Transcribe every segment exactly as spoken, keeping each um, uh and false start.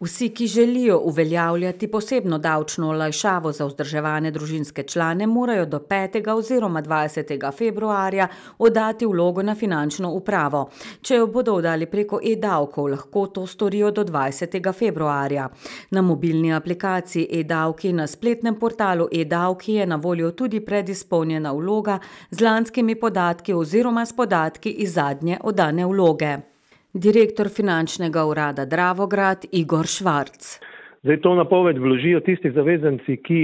Vsi, ki želijo uveljavljati posebno davčno olajšavo za vzdrževane družinske člane, morajo do petega oziroma dvajsetega februarja oddati vlogo na finančno upravo. Če jo bodo oddali preko e-davkov, lahko to storijo do dvajsetega februarja. Na mobilni aplikaciji e-davki in na spletnem portalu e-davki je na voljo tudi predizpolnjena vloga z lanskimi podatki oziroma s podatki iz zadnje oddane vloge. Direktor finančnega urada Dravograd Igor Švarc. Zdaj to napoved vložijo tisti zavezanci, ki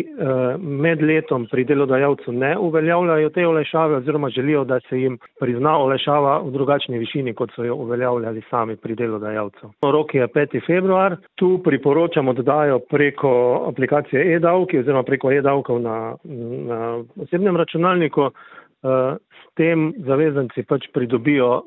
med letom pri delodajalcu ne uveljavljajo te olajšave oziroma želijo, da se jim prizna olajšava v drugačni višini, kot so jo uveljavljali sami pri delodajalcu. Rok je peti februar. Tu priporočamo oddajo preko aplikacije e-davki oziroma preko e-davkov na, na osebnem računalniku. S tem zavezanci pač pridobijo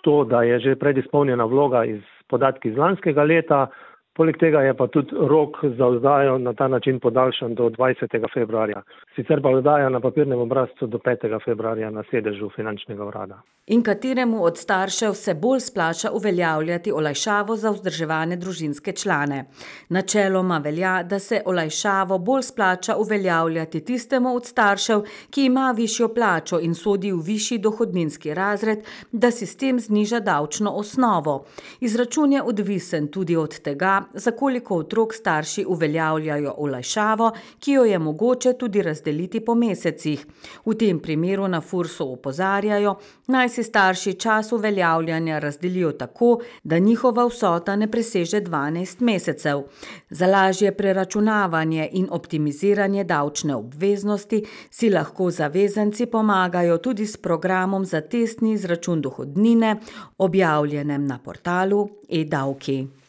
to, da je že predizpolnjena vloga iz podatki iz lanskega leta, poleg tega je pa tudi rok za oddajo na ta način podaljšan do dvajsetega februarja. Sicer pa oddaja na papirnem obrazcu do petega februarja na sedežu finančnega urada. In kateremu od staršev se bolj splača uveljavljati olajšavo za vzdrževane družinske člane? Načeloma velja, da se olajšavo bolj splača uveljavljati tistemu od staršev, ki ima višjo plačo in sodi v višji dohodninski razred, da si s tem zniža davčno osnovo. Izračun je odvisen tudi od tega, za koliko otrok starši uveljavljajo olajšavo, ki jo je mogoče tudi razdeliti po mesecih. V tem primeru na Fursu opozarjajo, naj si starši čas uveljavljanja razdelijo tako, da njihova vsota ne preseže dvanajst mesecev. Za lažje preračunavanje in optimiziranje davčne obveznosti si lahko zavezanci pomagajo tudi s programom za testni izračun dohodnine, objavljenem na portalu e-davki.